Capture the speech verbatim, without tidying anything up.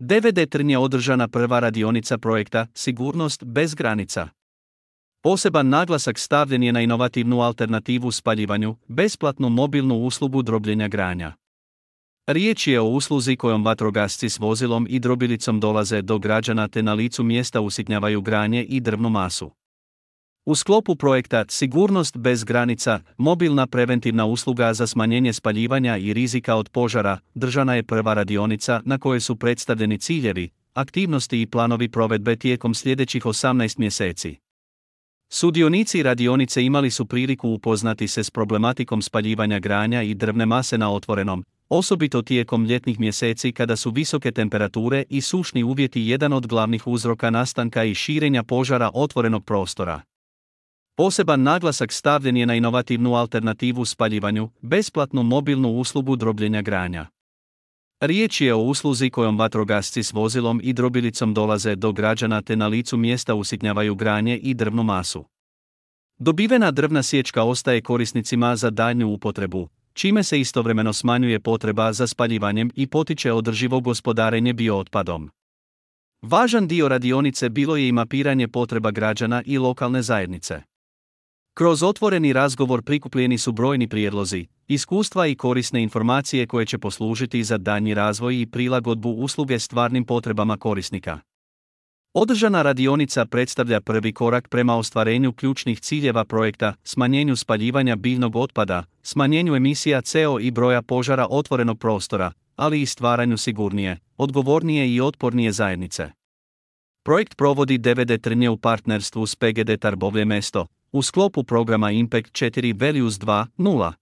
D V D Trnje održana prva radionica projekta Sigurnost bez granica. Poseban naglasak stavljen je na inovativnu alternativu spaljivanju, besplatnu mobilnu uslugu drobljenja granja. Riječ je o usluzi kojom vatrogasci s vozilom i drobilicom dolaze do građana te na licu mjesta usitnjavaju granje i drvnu masu. U sklopu projekta Sigurnost bez granica, mobilna preventivna usluga za smanjenje spaljivanja i rizika od požara, držana je prva radionica na kojoj su predstavljeni ciljevi, aktivnosti i planovi provedbe tijekom sljedećih osamnaest mjeseci. Sudionici radionice imali su priliku upoznati se s problematikom spaljivanja granja i drvne mase na otvorenom, osobito tijekom ljetnih mjeseci kada su visoke temperature i sušni uvjeti jedan od glavnih uzroka nastanka i širenja požara otvorenog prostora. Poseban naglasak stavljen je na inovativnu alternativu spaljivanju, besplatnu mobilnu uslugu drobljenja granja. Riječ je o usluzi kojom vatrogasci s vozilom i drobilicom dolaze do građana te na licu mjesta usitnjavaju granje i drvnu masu. Dobivena drvna sječka ostaje korisnicima za daljnju upotrebu, čime se istovremeno smanjuje potreba za spaljivanjem i potiče održivo gospodarenje biootpadom. Važan dio radionice bilo je i mapiranje potreba građana i lokalne zajednice. Kroz otvoreni razgovor prikupljeni su brojni prijedlozi, iskustva i korisne informacije koje će poslužiti za daljnji razvoj i prilagodbu usluge stvarnim potrebama korisnika. Održana radionica predstavlja prvi korak prema ostvarenju ključnih ciljeva projekta, smanjenju spaljivanja biljnog otpada, smanjenju emisija C O i broja požara otvorenog prostora, ali i stvaranju sigurnije, odgovornije i otpornije zajednice. Projekt provodi D V D Trnje u partnerstvu s P G D Tarbovlje mesto, u sklopu programa Impact četiri Values dva nula.